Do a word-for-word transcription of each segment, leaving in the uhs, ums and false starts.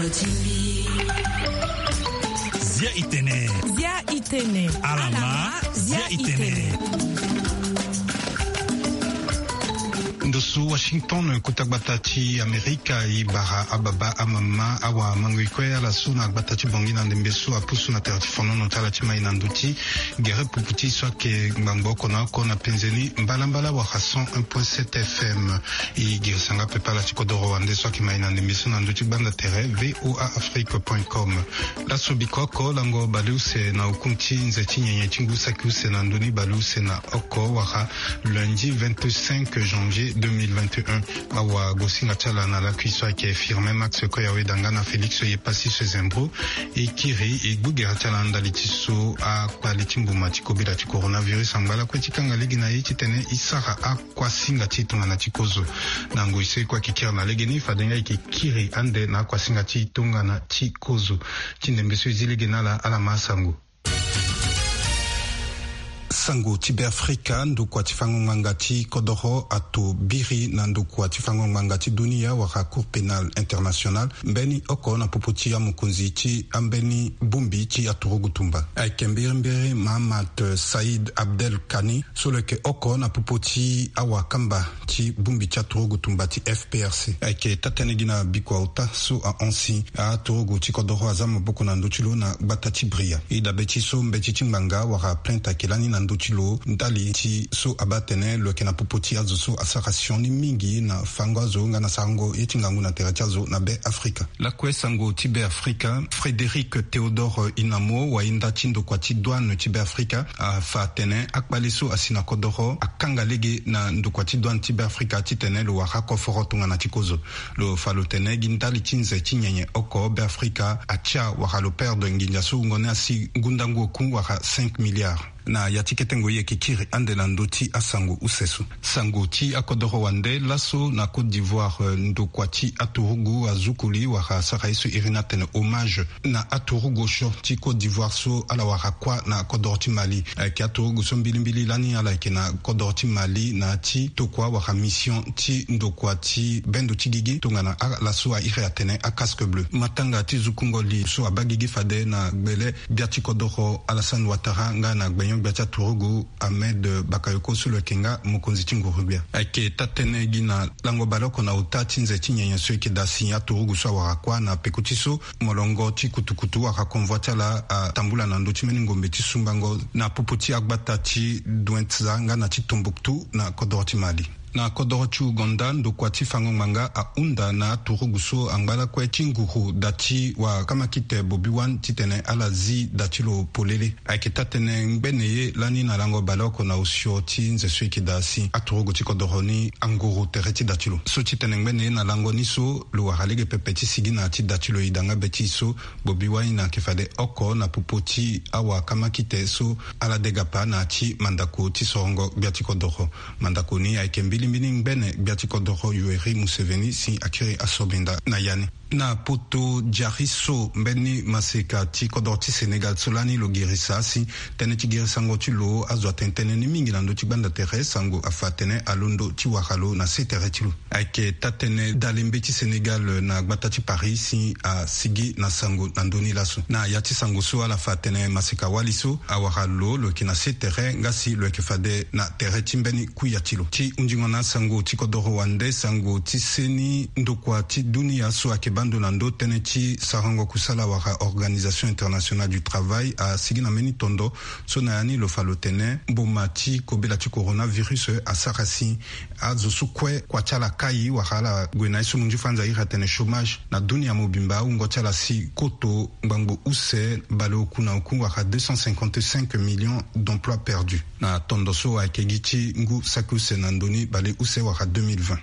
Zia itene. Zia itene. Alama. Zia itene. Ndo so Washington, kota gbata ti Amerika, e bara ababa, amama, awa, amango, e kue ala so na gbata ti Bangui na ndembe so apusu na tere ti fonono ti ala ti mai na ndö ti gere pupu ti e so ayeke ngbangbo oko na oko na penze ni mbalambala wala cent un point sept F M. E girisa nga pepe ala ti kodoro wande so ayeke mai na ndembe so na ndö ti gbanda tere V O A Afrique point com. Laso biko oko, lango baleuse na oku ti nze ti nyenye ti ngu saki use na ndö ni baleuse na oko wala lundi vingt-cinq janvier deux mille vingt et un. Awa, gosinga ti ala na lakui so ayeke Firmin Max Koyawe Danga na Félix Yepasi Sezembro. E kiri e gbu gere ti ala na ndali ti so akpali ti mbuma ti kobela ti coronavirus angba lakue ti kanga lege na e titene e sara akuasinga ti e tongana ti kozo. Na ngoi so e kue ayeke kiri na legeni, fade nga e yeke kiri ande na akuasinga ti e tongana ti kozo. Ti ndembe so e zi lege na ala, ala ma sango. Sango ti Beafrika, ndokua ti fango ngbanga ti kodoro ato biri na ndokua ti fango ngbanga ti dunia wala Cour pénale internationale mbeni oko na popo ti amokonzi ti ambeni bongbi ti aturugu tumba. Ayeke mbirimbiri Mahamat Saïd Abdel Kani, so lo yeke oko na popo ti awakamba ti bongbi ti aturugu tumba ti F P R C. Ayeke taa-tënë gi na bikua ota so ahon si aturugu ti kodoro aza maboko na ndö ti lo na gbata ti Bria. E dabe ti so mbeti ti ngbanga wala plainte ayeke lani na ndö ti lo ndali ti so abaa atene lo yeke na popo ti azo so asara sioni mingi na fango azo nga na sarango ye ti ngangu na tere ti azo na Beafrika. Lakue sango ti Beafrika, Frédéric Théodore Inamo, wayenda ti ndokua ti douane ti Beafrika, afa atene akpale so asi na kodoro akanga lege na ndokua ti douane ti Beafrika titene lo wara koforo tongana ti kozo. Lo fa lo tene gi ndali ti nze ti nyenye oko Beafrika atia wala lo perdre nginza so wungo ni asi ngu ndangu oku wala cinq milliards. Na ya ti kete ngoi e yeke kiri ande na ndö ti asango use so. Sango ti akodoro wande, laso na Côte d'Ivoire, eh, ndokua ti aturugu azukuli wala asara ye so iri ni atene hommage na aturugu osio ti Côte d'Ivoire so ala wara kuâ na kodoro ti Mali. Ayeke aturugu so mbilimbili lani ala yeke na kodoro ti Mali na ya ti tokua wala mission ti ndokua ti bendo ti gigi tongana ala so a iri atene a casque bleu. Matanga ti zukungo li so abaa gigi fade na gbele gbia ti kodoro Alassane Ouattara nga na gbenyo-gbia ti aturugu Ahmed Bakayoko so lo yeke nga mokonzi ti nguru-gbia. Ayeke taa-tënë gi na lango baleoko na ota ti nze ti nyenye so e yeke daa si aturugu so awara kuâ na peko ti so molongo ti kutukutu wala convoi ti ala atambula na ndö ti mbeni ngombe ti sumbango na popo ti agbata ti Douentza nga na ti Tombouctou na kodoro ti Mali. Na kodoro ti Ouganda, ndokua ti fango ngbanga ahunda na aturugu so angba lakue ti nguru da ti wakamakite Bobi Wine titene ala zi da ti lo polele. Ayeke taa-tënë ngbene ye lani na lango baleoko na osio ti nze so e yeke daa si aturugu ti kodoro ni anguru tere ti da ti lo. So ti tene ngbene ye na lango ni so, lo wara lege pepe ti sigi na ya ti da ti lo. E da nga be ti e so Bobi Wine ayeke fade oko na popo ti awakamakite so ala degapa na ya ti mandako ti sorongo gbia ti kodoro. Mandako ni ayeke mbilimbili ngbene gbia ti kodoro Yoweri Museveni si akiri asobinda na ya ni. Na poto diari so, mbeni maseka ti kodoro ti Sénégal so lani lo girisa si tënë ti girisango ti lo azo atene tënë ni mingi na ndö ti gbanda tere, sango afa atene alondo ti wara lo na se tere ti lo. Ayeke taa-tënë dale mbeti Sénégal na gbata ti Paris si asigi na sango na ndö ni laso. Na ya ti sango so ala fa atene maseka wali so awara lo, lo yeke na se tere nga si lo yeke fade na tere ti mbeni kuya ti lo. Ti hunzingo na asango ti kodoro wande, sango ti seni ndokua ti dunia so ayeke baa ndo na ndö tënë ti sarango kusala wala Organisation Internationale du Travail asigi na mbeni tondo so na ya ni lo fa lo tene mboma ti kobela ti coronavirus asara si azo so kue kua ti ala kai wala ala gue na ye so munzu fanza iri atene chômage na dunia mobimba, awungo ti ala si koto ngbangbo use baleoku na oku wala deux cent cinquante-cinq millions d'emplois perdus. Na tondo so ayeke gi ti ngu saki use na ndö ni baleuse wala deux mille vingt.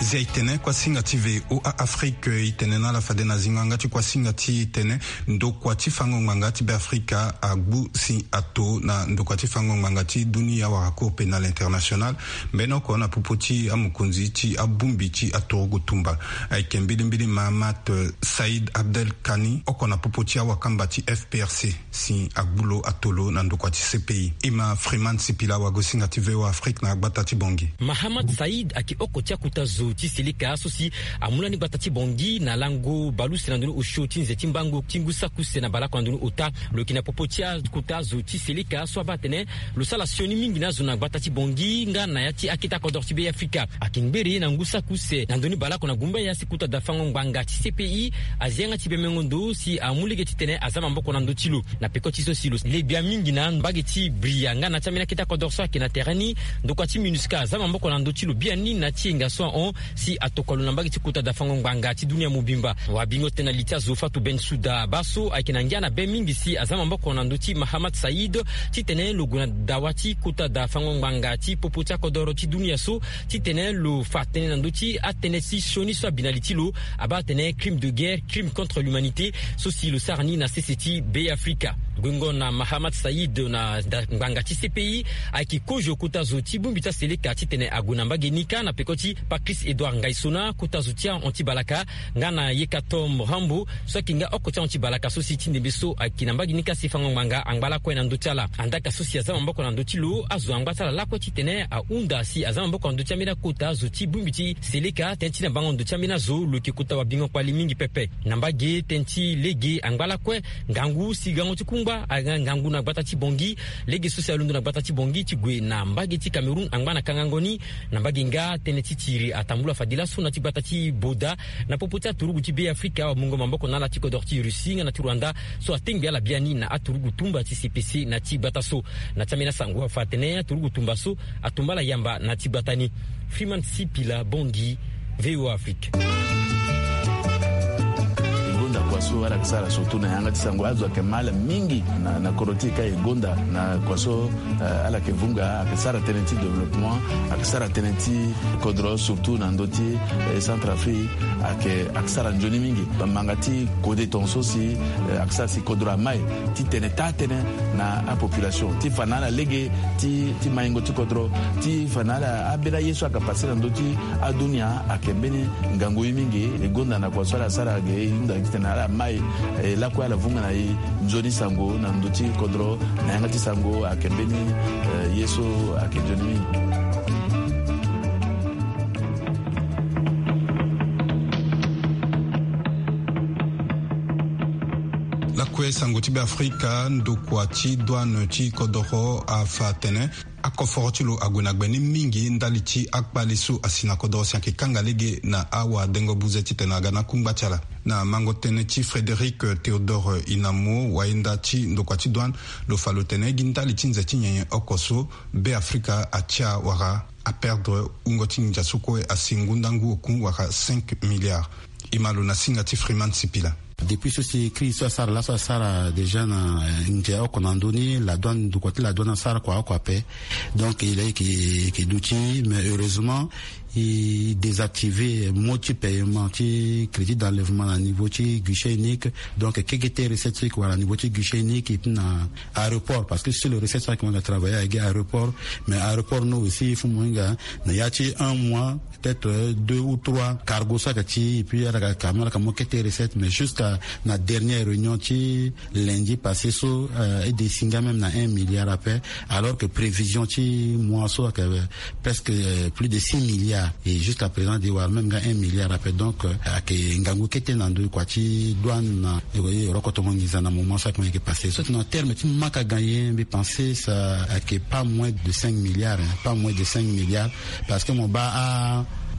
Zia e tene kuasinga ti V O A Afrique, e tene na ala fade na zingo yanga ti kuasinga ti e tene ndokua ti fango ngbanga ti Beafrika agbu si ato na ndokua ti fango ngbanga ti dunia wala Cour pénale internationale, mbeni oko na popo ti amokonzi ti abongbi ti aturugu tumba. Ayeke mbilimbili Mahamat Said Abdel Kani, oko na popo ti awakamba ti F P R C, si agbu lo ato lo na ndokua ti C P I. E ma Freeman Sipila, wagosinga ti V O A Afrique na agbata ti Bangui. Mahamat Said ayeke oko ti akota zo ti Seleka so si amu lani gbata ti Bangui na lango baleuse na ndoni osio ti nze ti mbango ti ngu saki use na baleoko na ndoni ota. Lo yeke na popo ti akota zo ti Seleka so abaa atene lo sara sioni mingi na azo na gbata ti Bangui nga na ya ti akete akodoro ti Beafrika. Ayeke ngbere na ngu saki use na ndoni baleoko na gumbaya si kota da fango ngbanga ti C P I azia yanga ti bemengo ndo si amu lege titene aza maboko na ndö ti lo. Na peko ti so si lo le gbia mingi na mbage ti Bria nga na ya ti ambeni akete akodoro so ayeke na tere ni, ndokua ti MINUSCA aza maboko na ndö ti lo biani na ya ti yenga so ahon si atokua lo na mbage ti kota da fango ngbanga ti dunia mobimba. Wabingo tene na li ti azo Fatou Bensouda baa so ayeke na ngia na be mingi si aza maboko na ndö ti Mahamat Said titene lo gue na dawa ti kota da fango ngbanga ti popo ti akodoro ti dunia so, titene lo fa tënë na ndö ti atënë ti sioni so abi na li ti lo, abaa atene crime de guerre, crime contre l'humanité, so si lo sara ni na sese ti Beafrika. Guengo na Mahamat Said na da ngbanga ti C P I, ayeke kozo kota zo ti bongbi ti aseleka titene ague na mbage ni kâ na peko ti Patrice Edouard Ngaïsona, kota zo ti ahon ti balaka, nga na Yekatom Rambo, so ayeke nga oko ti ahon ti balaka so si ti ndembe so ayeke na mbage ni kâ si fango ngbanga angba lakue na ndö ti ala. Andaka so si aza maboko na ndö ti lo, azo angba ti ala lakue titene ahunda si aza maboko na ndö ti ambeni akota zo ti bongbi ti seleka. Tënë ti na bango ndo ti ambeni azo lo yeke kota wabingo kpali mingi pepe. Na mbage tënë ti lege angba lakue, ngangu si gango ti kungba aga ngangu na gbata ti Bangui. Lege so si alondo na gbata ti Bangui ti gue na mbage ti Cameroun angba na kangango ni. Na mbage nga tënë ti tiri atambula fade laso na ti gbata ti Boda, na popo ti aturugu ti Beafrika, wamungo maboko na ala ti kodoro ti Russie nga na ti Rwanda, so atengbi ala biani na aturugu tumba ti C P C na ti gbata so. Na ti ambeni asango afa atene aturugu tumba so atumba ala yamba na ti gbata ni. Freeman Sipila, Bangui, V O A Afrique. E gonda kua so ala yeke sara surtout na yanga ti sango, azo ayeke ma ala mingi na, na kodro ti e ka e gonda na kua so, eh, ala yeke vunga, ayeke sara tënë ti développement, ayeke sara tënë ti kodro surtout na ndö ti, eh, Centrafrique, ayeke, ayeke sara nzoni mingi. Manga ti kode tongaso si, eh, ayeke sara si kodro amai titene taa tënë na apopulation ti fa na ala lege ti, ti maingo ti kodro, ti fa na ala ambeni aye so ayeke passe na ndö ti adunia. Ayeke mbeni ngangu ye mingi. E gonda na kua so ala sara ge e hunda titene ala mai, eh, lakue ala vunga na e nzoni sango na ndö ti kodro. Na yanga ti sango ayeke mbeni, eh, ye so ayeke nzoni mingi. Lakue sango ti Beafrika, ndokua ti douane ti kodoro afa atene akoforo ti lo ague na gbe ni mingi ndali ti akpale so asi na kodoro si ayeke kanga lege na awadengo buze titene aga na akungba ti ala. Na mango tënë ti Frédéric Théodore Inamo, wayenda ti ndokua ti douane, lo fa lo tene gi ndali ti nze ti nyenye oko so Beafrika atia wala aperdre wungo ti nginza so kue asi ngundangu oku wala cinq milliards. E ma lo na singa ti Freeman Sipila. Depuis so si crise so asara laso asara déjà na, eh, nze oko na ndö ni, la douane, ndokua ti la douane asara kua oko ape. Donc il est que, que duti, mais heureusement il désactive mode ti paiement ti crédit d'enlèvement na niveau ti guichet unique. Donc keke ti recette so e yeke wara na niveau ti guichet unique et puis na aéroport, parce que sur le recette so ayeke mo na travailler ayeke aéroport, mais aéroport no aussi il faut mo hinga na ya ti un mois, peut-être, euh, deux ou trois cargo so ayeke ti, et puis ala yeke ka mo, ala yeke mo kete recette, mais jusqu'à na dernière réunion ti lundi passé so, euh, e descend même na un milliard ape, alors que prévision ti mois so ayeke, euh, presque, euh, plus de six milliards, et jusqu'à présent e wara même nga un milliard ape. Donc, euh, ayeke ngangu kete na ndö kua ti douane na, eh, eh, rokotongo nginza na moment so ayeke, mo yeke passé so. Na terme ti manque à gagner, mbi pensé ça ayeke pas moins de cinq milliards, hein, pas moins de cinq milliards. Parce que mo baa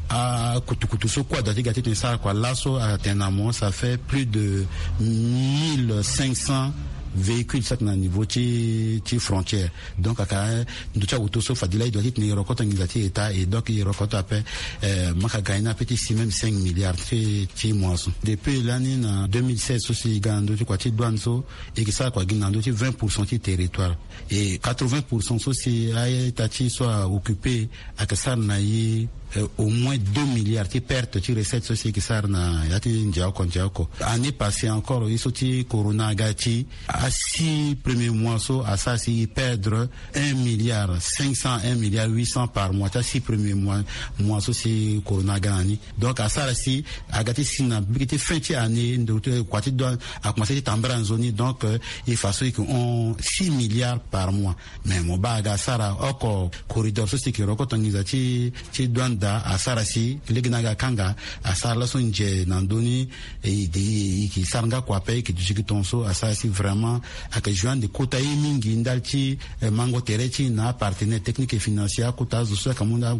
a, a kutukutu so kue adoit ti ga ti tene sara kua laso atene na mo, ça fait plus de mille cinq cents véhicules so ayeke na niveau ti, ti frontière. Donc aka ndö ti awoto so fade laa e doit ti tene e rokoto nginza ti État, et donc e rokoto ape, eh, manque à gagner ni ape ti si même cinq milliards ti, ti mois so. Depuis lani na deux mille seize so si e ga na ndö ti kua ti douane so, e yeke sara kua gi na ndö ti vingt pour cent ti territoire. Et quatre-vingts pour cent so si a-ita ti e so a occupé ayeke sara na e euh, au moins deux milliards ti perte ti recette so si e ke sara na ya ti ndia oko ndia oko. Année passée encore, ye so ti corona aga ti, a six premier mois so asara si e perdre un milliard cinq cents, un milliard huit cents par mois ti a six premier mois, mois so si corona aga na ni. Donc asara si aga ti si na bike ti fin ti année, ndo ti kua ti douane a commencé ti tambara nzoni. Donc, euh, e fa so e ke hon six milliards par mois. Mais mo baa aga asara oko corridor so si e ke roko tonginza ti, ti douane daa, asara si lege na aga akanga asara laso nze na ndö ni. E, e, e ke sara nga kua ape, e ke duti gi tongaso. Asara si vraiment ayeke jouer ande kota ye mingi ndali ti, eh, mango tere ti e na apartenaire technique et financier, akota azo so ayeke mu na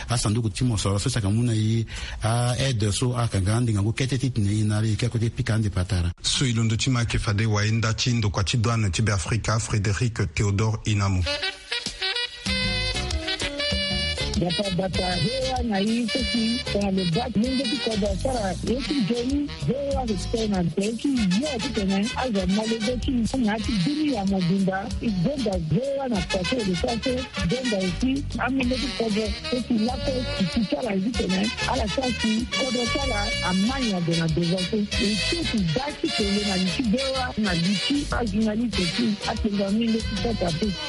asanduku ti mosoro so si ayeke mu na e, a aide so ayeke nga ande ngangu kete titene e na ala e ke akote pika ande patara. So e londo ti ma ayeke fade wayenda ti ndokua ti douane ti Beafrika, Frédéric Théodore Inamo. Bata bata V O A na e so si tongana lo baa ti lenge ti kodro asara ye ti nzoni. V O A ayeke tene na tere ti yo titene azo amolenge ti e na ya ti dunia mobimba. E gonda V O A na kua so e lo sara so. E gonda aussi amolenge ti kodro so si lakue e ti ti ala ye titene ala sara si kodro ti ala ama nyon ade na devant so. E ti e ti daa ti kele na li ti V O A na li ti ajournaliste ti atengua amolenge ti Centrafrique.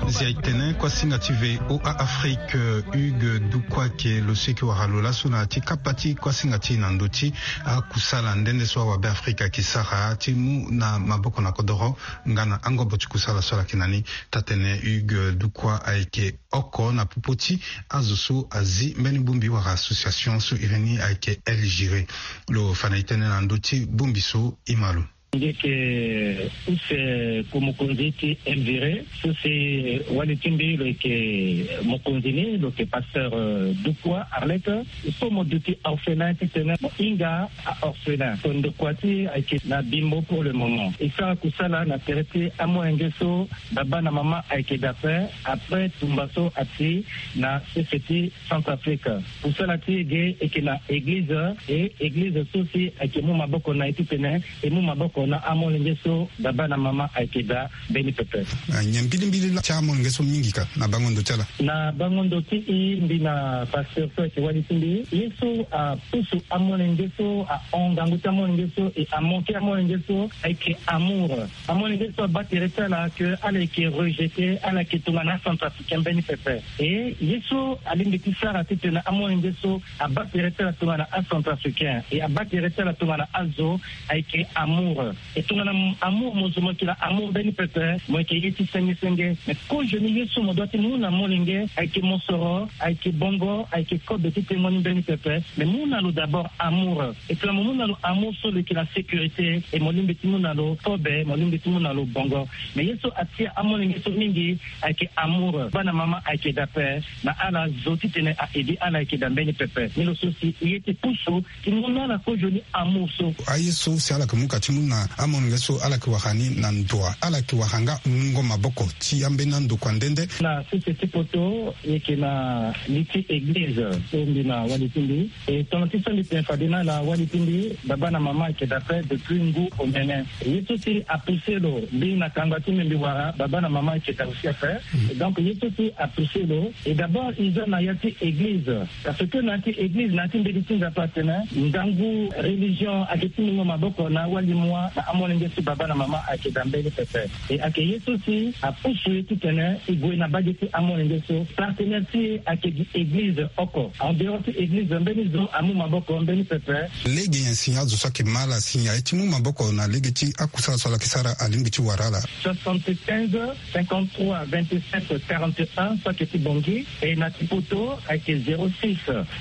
Zia e tene kuasinga ti V O A Afrique, Hugues Dukwa, ake lo so e ke wara lo laso na ya ti kapa ti kuasinga ti e na ndö ti akusala nde nde so awabe Afrika ake sara ti mu na maboko na kodoro nga na angobo ti kusala so ala yeke na ni. Taa-tene Hugues Dukwa ayeke oko na popo ti azo so azi mbeni bongbi wala association so iri ni ayeke El Giré. Lo fa na e tënë na ndö ti bongbi so, e ma lo. Nge yeke use ko mokonzi ti El Giré so si wali ti mbi lo yeke mokonzi ni, lo yeke pasteur, euh, Dukwa Arlette. So mo duti orphelin titene mo hinga a-orphelin. So ndokua ti e ayeke na Bimbo pour le moment. E sara kusala na tere ti amolenge so baba na mama ayeke daa ape, après tumba so ati na sese ti Centrafrique. Kusala ti e ge e yeke na eglize, e eglize so si ayeke mu maboko na e titene e mu maboko na amolenge so baba na mama ayeke daa mbeni pepe. Ah, nyen mbilimbili laa ti amolenge so mingi ka na bango ndo ti ala? Na bango ndo ti e, mbi na pasteur so ayeke wali ti mbi, ye so apusu amolenge so, ahon ngangu ti amolenge so, e amanke amolenge so, ayeke amour. Amolenge so abaa tere ti ala ke ala yeke rejeté, ala yeke tongana acentrafricain mbeni pepe. E ye so alingbi ti sara titene amolenge so abaa tere ti ala tongana acentrafricain, e abaa tere ti ala tongana azo, ayeke amour. E tongana m-, amour mo zo mo yeke na amour mbeni pepe, mo yeke ye ti senge senge. Mais kozoni ye so mo doit ti mu na molenge ayeke mosoro, ayeke bongo, ayeke kobe ti tengo ni mbeni pepe. Mais mu na lo d'abord amour. E tongana mo mu na lo amour so lo yeke na sécurité, e mo lingbi ti mu na lo kobe, mo lingbi ti mu na lo bongo. Mais ye so atia amolenge so mingi ayeke amour. Baba na mama ayeke daa ape, na ala zo titene a-aider ala ayeke daa mbeni pepe. Ni lo so si e ye ti pusu ti mu na ala kozoni amour so. Aye so si ala yeke mu ka ti mu na amolenge so ala yeke wara ni na ndoa, ala yeke wara nga mungo maboko ti ambeni andokua nde nde. Na sese ti poto, e yeke na li ti eglize so mbi na wali ti mbi. E tongana ti so mbi tene fade na ala, wali ti mbi, baba na mama ayeke daa ape depuis ngu omene. Ye so si apoussé lo, mbi na kangba ti mbi, mbi wara baba na mama ayeke daa aussi ape. Mm. Et donc ye so si apoussé lo, et d'abord e za na ya ti eglize. Parce que na ya ti eglize, na ya ti mbeti ti Nzapa atene ngangu religion ayeke ti mungo maboko na awali moi. na amolenge so baba na mama ayeke daa mbeni pepe. E ayeke ye so si apusu ye titene e gue na mbage ti amolenge so. Partenaire ti e ayeke gi église oko. En dehors ti église, mbeni zo amu maboko mbeni pepe. Lege nyen si azo so ayeke ma ala si aye ti mu maboko na lege ti akusala so ala yeke sara alingbi ti wara ala? Soixante-quinze, cinquante-trois, vingt-sept, quarante et un, so ayeke ti Bangui. E na ti Poto ayeke zéro six,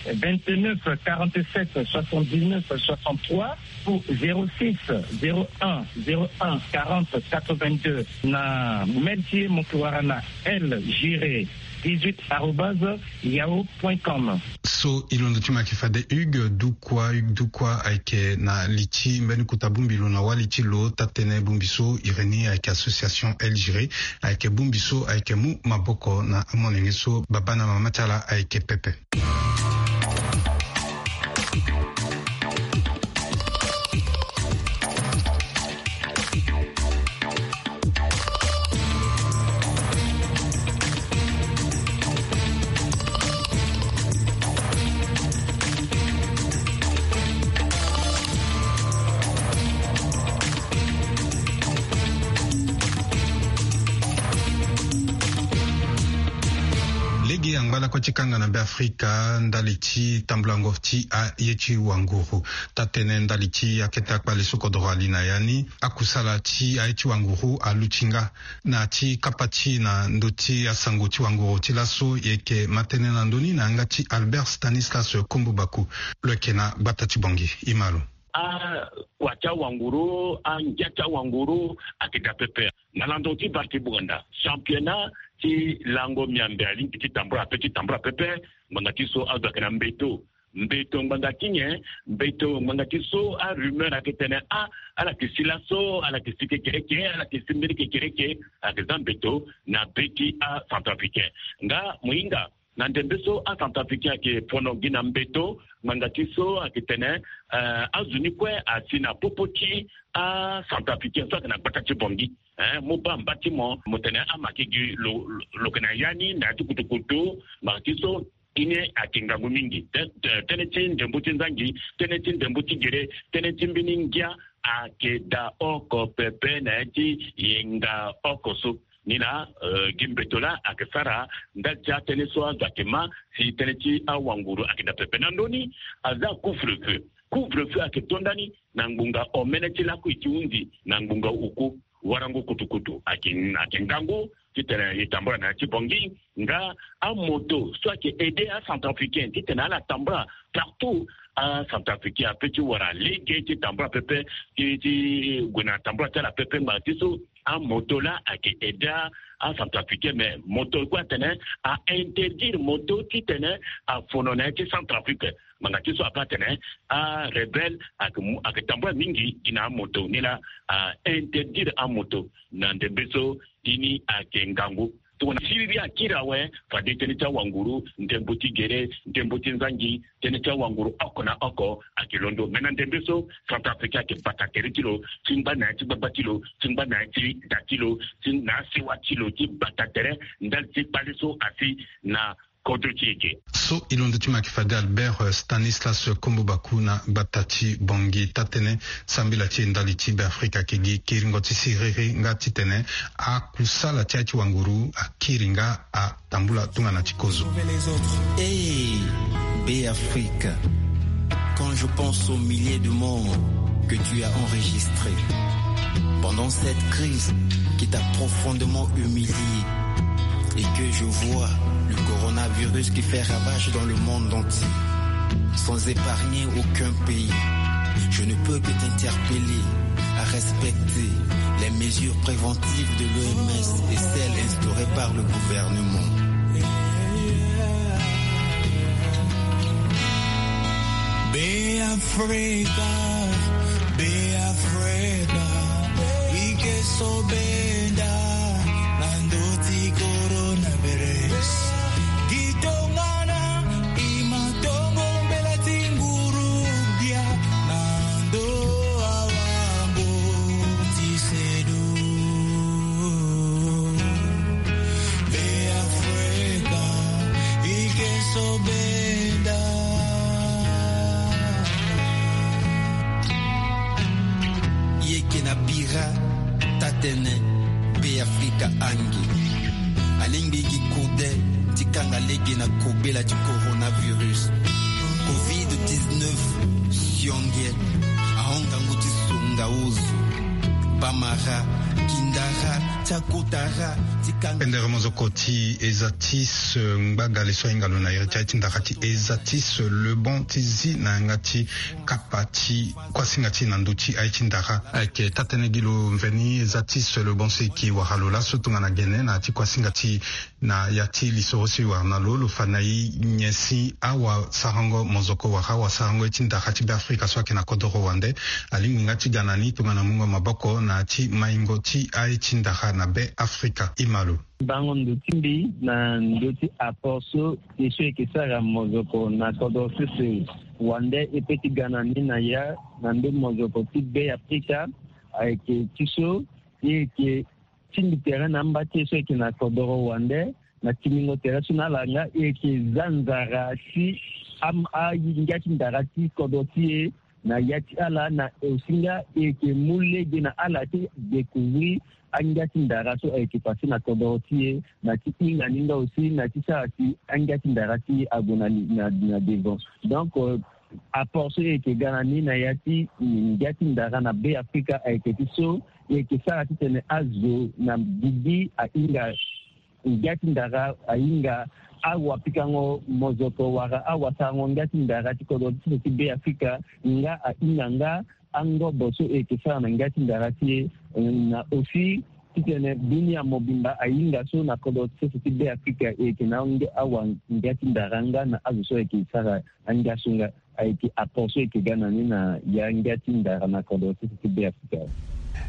vingt-neuf, quarante-sept, soixante-dix-neuf, soixante-trois, ou zéro six, zéro un, zéro un, quarante, quatre-vingt-deux. Na mail ti e mo yeke wara na L Giré dix-huit arobase yahoo point com. So e londo ti mo ayeke fade Hugues Dukwa. Hugues Dukwa ayeke na li ti mbeni kota bongbi lo na wali ti lo. Taa-tënë bongbi so e reni ayeke association L Giré, ayeke bongbi so ayeke mu maboko na amolenge so baba na mama ti ala ayeke pepe. Lege angba lakue ti kanga na Beafrika ndali ti tambulango ti aye ti wanguru. Taa-tënë ndali ti akete akpale so kodoro ali na ya ni, akusala ti aye ti wanguru aluti nga. Na ti kapa ti e na ndö ti asango ti wanguru ti laso, e yeke ma tënë na ndö ni na yanga ti Albert Stanislas Kombo Baku. Lo yeke na gbata ti Bangui. E ma lo. Akua ti awanguru, angia ti awanguru ayeke daa pepe. Na landon ti Barki Buganda, championnat ti lango miambe alingbi ti tambula ape, ti tambula pepe. Ngbanga ti so azo ayeke na mbeto. Mbeto ngbanga ti nyen? Mbeto ngbanga ti so arumeur ayeke tene, ah, ala yeke si laso, ala yeke si kekereke, ala yeke si mbeni kekereke. Ayeke za mbeto na be ti acentrafricain. Nga mo hinga na ndembe so acentrafricain ayeke fono gi na mbeto, ngbanga ti so ayeke tene, eh, azo ni kue asi na popo ti acentrafricain so ayeke na gbata ti Bangui. Eh, mo baa mba ti mo, mo tene ama yeke gi lo, lo, lo yeke na ya ni na ya ti kutukutu. Ngbanga ti so, e ni ayeke ngangu mingi. Tê-, tê-, tënë ti ndembo ti nzangi, tënë ti ndembo ti gere, tënë ti mbeni ngia ayeke daa oko pepe na ya ti yenga oko so. Ni laa, eh, gi mbeto laa ayeke sara ndali ti atënë so azo ayeke ma si tënë ti awanguru ayeke daa pepe. Na ndö ni, aza couvre-feu. Couvre-feu ayeke to ndani na ngbonga omene ti lakui ti hunzi na ngbonga oku. Warango kutukutu ayeke, ayeke ngangu titene e tambula na ya ti Bangui. Nga amoto so ayeke aidé acentrafricain titene ala tambula partout. Acentrafricain apeut ti wara lege ti tambula pepe ti, ti gue na tambula ti ala pepe. Ngbanga ti so amoto laa ayeke aidé acentrafricain, mais moto kue atene a interdire moto titene afono na ya ti Centrafrique. Ngbanga ti so ape atene arebelle ayeke mu, ayeke tambula mingi gi na amoto. Ni laa a interdire amoto na ndembe so. E ni ayeke ngangu. Tongana siriri akiri awe, fade tënë ti awanguru, ndembo ti gere, ndembo ti nzangi, tënë ti awanguru oko na oko ayeke londo. Me na ndembe so, Centrafricain ayeke bata tere ti lo ti ngba na ya ti gbagba ti lo, ti ngba na ya ti da ti lo, ti na asewa ti lo ti bata tere ndali ti kpale so asi na kodro ti e ge. So e londo ti mo ayeke fade Albert, eh, Stanislas Kombo Baku na gbata ti Bangui. Taa-tënë sambela ti e ndali ti Beafrika ayeke gi kiringo ti siriri nga titene akusala ti aye ti wanguru akiri nga atambula tongana ti kozo. Hey, Beafrika, quand je pense aux milliers de morts que tu as enregistrés pendant cette crise qui t'a profondément humilié, et que je vois le coronavirus qui fait ravage dans le monde entier, sans épargner aucun pays, je ne peux que t'interpeller à respecter les mesures préventives de l'O M S et celles instaurées par le gouvernement. Beafrika, Beafrika, e ke so benda na ndö ti coronavirus. Gi tongana e ma tongo mbela ti nguru gbia na ndö awango ti sedu. Beafrika, e ke so benda. E yeke Ra tatene Be Afrika ange. Alingbi gi kode ti kanga lege na kobela ti coronavirus. Covid dix-neuf sionge. Ahon ngangu ti songa ozo. Bamara, kindara, ti akotara, ti kanga. Pendere mozoko ti eza ti se ngbagale so ahinga lo na iri ti aye ti ndara ti eza ti se le bon ti zi na yanga ti kapa ti kuasinga ti na ndö ti aye ti ndara. Ayeke tatene gi lo mveni eza ti se le bon so e yeke wara lo laso tongana gene na ya ti kuasinga ti na ya ti lisoro so e wara na lo, lo fa na e nyen si awasarango mozoko wala awasarango ye ti ndara ti Be Afrika so ayeke na kodoro wande alingbi nga ti ga na ni tongana mungo maboko na ya ti maingo ti aye ti ndara na Be Afrika. Ima lo. Bango ndo ti mbi na ndo ti apport so e so e yeke sara mozoko na kodro sese wande e pe ti ga na ni na ya na ndo mozoko ti Be Afrika ayeke ti so e yeke tingbi tere na amba ti e so e yeke na kodoro wande na tingbingo tere so na ala nga e yeke za nzara si am- angia ti ndara ti kodro ti e na ya ti ala na osinga e yeke mu lege na ala ti découvrir angia ti ndara so ayeke pase na kodoro ti e na ti hinga ni nga aussi na ti sara si angia ti ndara ti e ague na, na, na devant. Donc euh, apport so e yeke ga na ni na ya ti ngia ti ndara na Be Afrika ayeke ti so e yeke sara titene azo na gigi ahinga ngia ti ndara ahinga awapikango mozoko wala awasarango ngia ti ndara ti kodro ti sese ti Be Afrika nga ahinga nga angobo so e yeke sara na ngia ti ndara ti e na aussi titene dunia mobimba ahinga so na kodro ti sese ti Be Afrika e yeke na awa ngia ti ndara nga na azo so ayeke sara angia so nga. Ayeke apport so e yeke ga na ni na ya ngia ti ndara na kodro ti sese ti Be Afrika.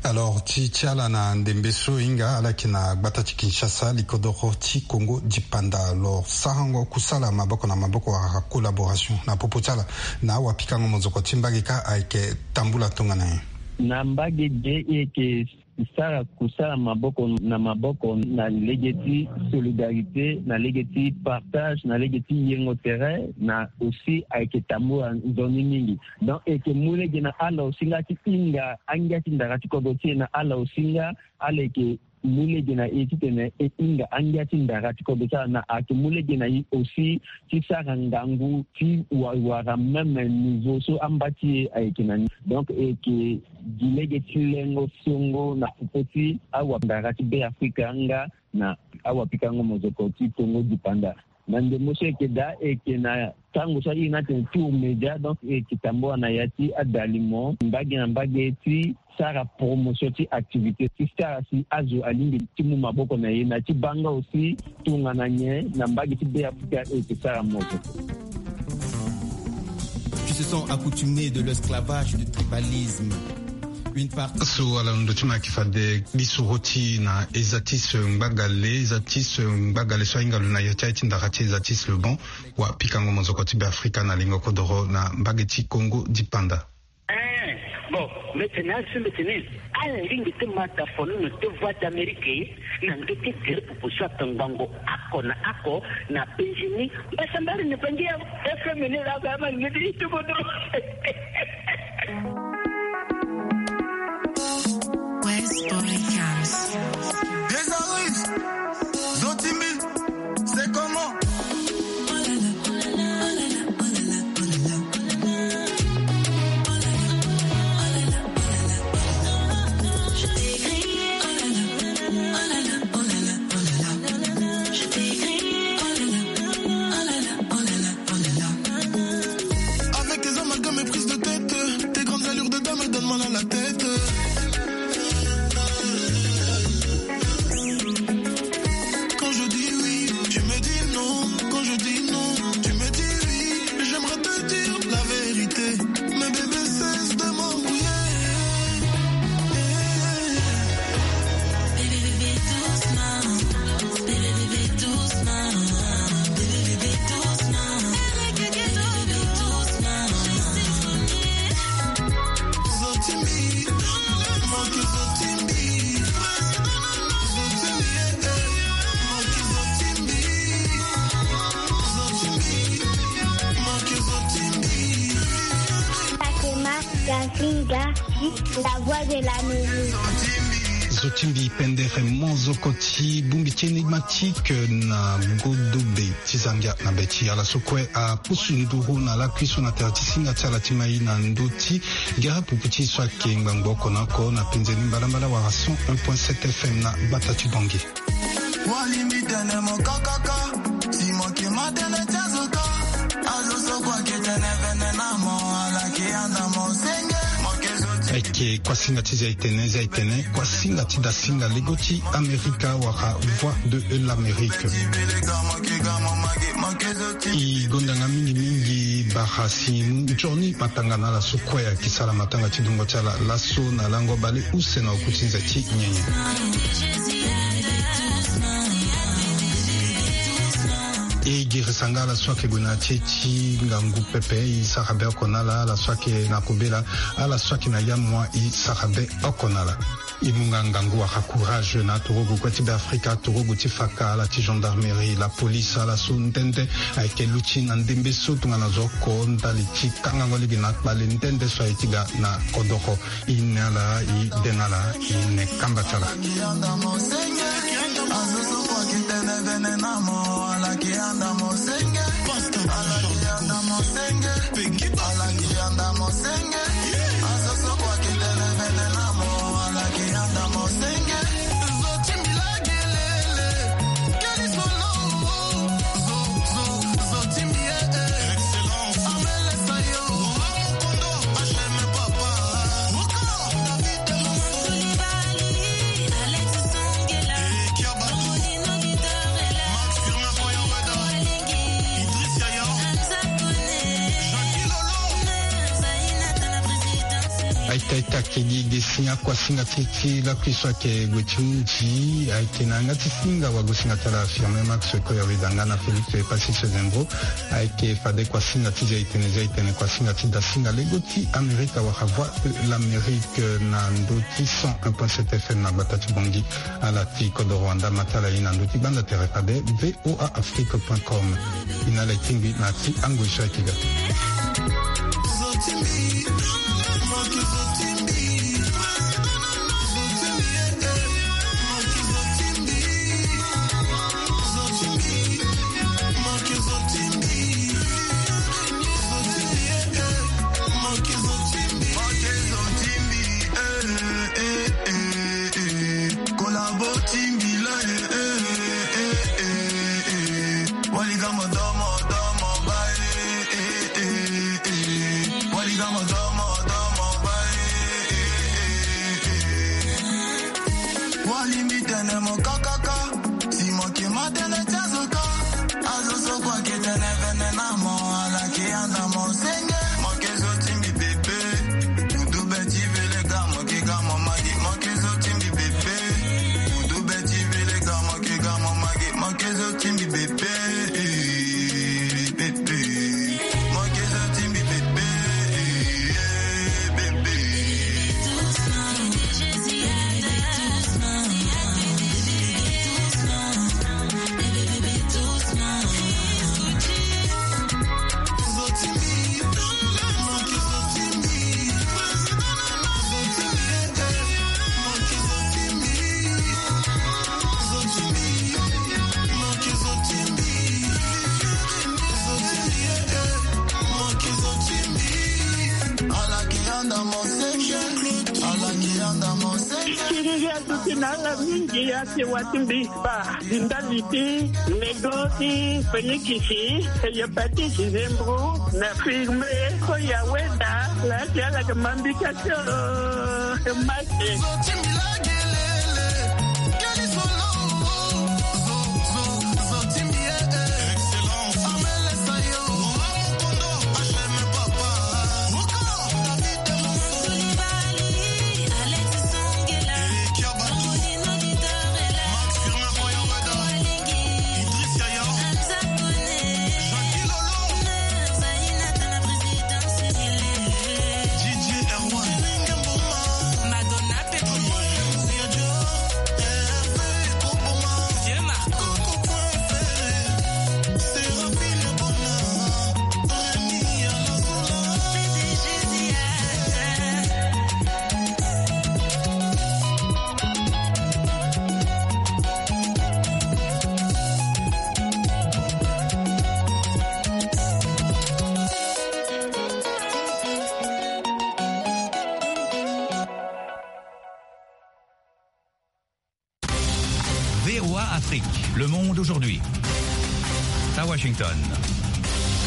Alors ti ti ala na ndembe so e hinga ala yeke na gbata ti Kinshasa likodoro ti Congo dipanda. Alors sarango kusala maboko na maboko wala collaboration na popo ti ala na awapikango mozoko ti mbage kâ ayeke tambula tongana nyen? Na mbage ge e yeke sara kusala maboko na maboko na lege ti solidarité na lege ti partage na lege ti yengo tere na aussi ayeke tambula nzoni mingi. Donc e yeke mu lege na ala aussi nga ti hinga angia ti ndara ti kodro ti e na ala aussi nga ala yeke mu lege na e titene e hinga angia ti ndara ti kodro ti ala na ayeke mu lege na e aussi ti sara ngangu ti wa- wara même niveau so amba ti e ayeke na ni. Donc e yeke gi lege ti lengo songo na popo ti awandara ti Be Afrika nga na awapikango mozoko ti Congo dipanda. Na ndembo so e yeke daa e yeke na tango so a iri ni atene tour média, donc e yeke tambula na ya ti adalimo mbage na mbage ti sara promotion ti activité ti sara si azo alingbi ti mu maboko na e na ti baa nga aussi tongana nyen na mbage ti Be Afrika e yeke sara mozoko. Qui se sont accoutumés de l'esclavage, du tribalisme. Une partie. So ala ndo ti ma yeke fade lisoro ti na eza ti se ngbagale, eza ti se ngbagale so ahinga lo na ya ti aye ti ndara ti eza ti se le bon. Wa pikango mozoko ti Be Afrika na lingo kodoro na mbage ti Congo dipanda. Eh, bon, mbi tene asi mbi tene ala lingbi ti ma ta fono na ti Voix d'Amérique na ndö ti gere popo so atongbango oko na oko na penzi ni. Mbasambari ni penzi ya F M ni la ba ma ni di tu bodo. West Boy Cams. Des arifs, Zotimi, c'est comment? Avec tes amalgames et prises de tête, tes grandes allures de dame donnent mal à la tête. Quand je dis oui, tu me dis non. Quand je dis non, tu me dis oui. J'aimerais te dire la vérité. Mais bébé, cesse de m'embrouiller. Bébé, bébé, doucement. Bébé, bébé, doucement. Bébé, bébé, doucement. Bébé, bébé, doucement. Zotimi, manque Zotimi. Fatima Gazinga. La voix de l'Amérique. Zo ti mbi pendere mo zo ko ti bongbi ti énigmatique na godobe ti Zambia na be ti ala so kue apusu nduru na lakui so na tere ti singa ti ala ti mai na ndö ti gere pupu ti so ayeke ngbangbo oko na oko na penze ni mbalambala wala cent un point sept F M na gbata ti Bangui. Walimbi tene mo kakaka, si mo ke ma tene ti azo ka, azo so kue ake tene vene na mo, ala ke yanda mo senge, mo ke zo ti. Ayeke kuasinga ti Zaitene, Zaitene, kuasinga ti dasinga lego ti Amerika wala Voix de l'Amérique. E gonda nga mingi mingi bara si nzoni matanga na ala so kue ayeke sara matanga ti dungo ti ala laso na lango bale use na oku ti nze ti nyenye. E girisa nga ala so ayeke gue na ya ti e ti ngangu pepe, e sara be oko na ala, ala so ayeke na kobela, ala so ayeke na yamua, e sara be oko na ala. E mu nga ngangu wala courage na atorogo kue ti Beafrika, atorogo ti faka, ala ti gendarmerie, la police, ala so nde nde ayeke luti na ndembe so tongana zo oko ndali ti kangango lege na kpale nde nde so aye ti ga na kodoro. E ne ala, e de na ala, e ne kamba ti ala. Aita aita kedi de si akuasinga ti ti lakui so ayeke gue ti hundi ayeke na yanga ti singa wagosinga ti ala Firmin Max Koyaweda nga na Félix Passy Sezembro. Ayeke fade kuasinga ti Zaitene, Zaitene kuasinga ti dasinga lego ti Amerika wala Voix de l'Amérique na ndö ti cent un point sept F M na gbata ti Bangui. Ala ti kodoro wanda ma ti ala ye na ndö ti gbanda tere fade V O A Afrique point com. E na ala e tingbi na ya ti angoi so ayeke ga. Walimbi tene mo kakaka, si mo ke ma tene ti azo ka, azo so kue ake tene vene na mo, ala ke yanda mo senge, mo ke zo ti mbi pepe. Mutu be ti vele ga, mo ke ga mo magi, mo ke zo ti mbi pepe. Mutu be ti vele ga, mo ke ga mo magi, mo ke zo ti mbi pepe. Eh, pepe. Siriri aduti na ala mingi, ake wati mbi kpa. Ndali ti lego ti fenikisi, hepatite, zembro, na firme, koya weda, la ti ala ke mambi kasi o, maki. Afrique, le monde aujourd'hui. À Washington.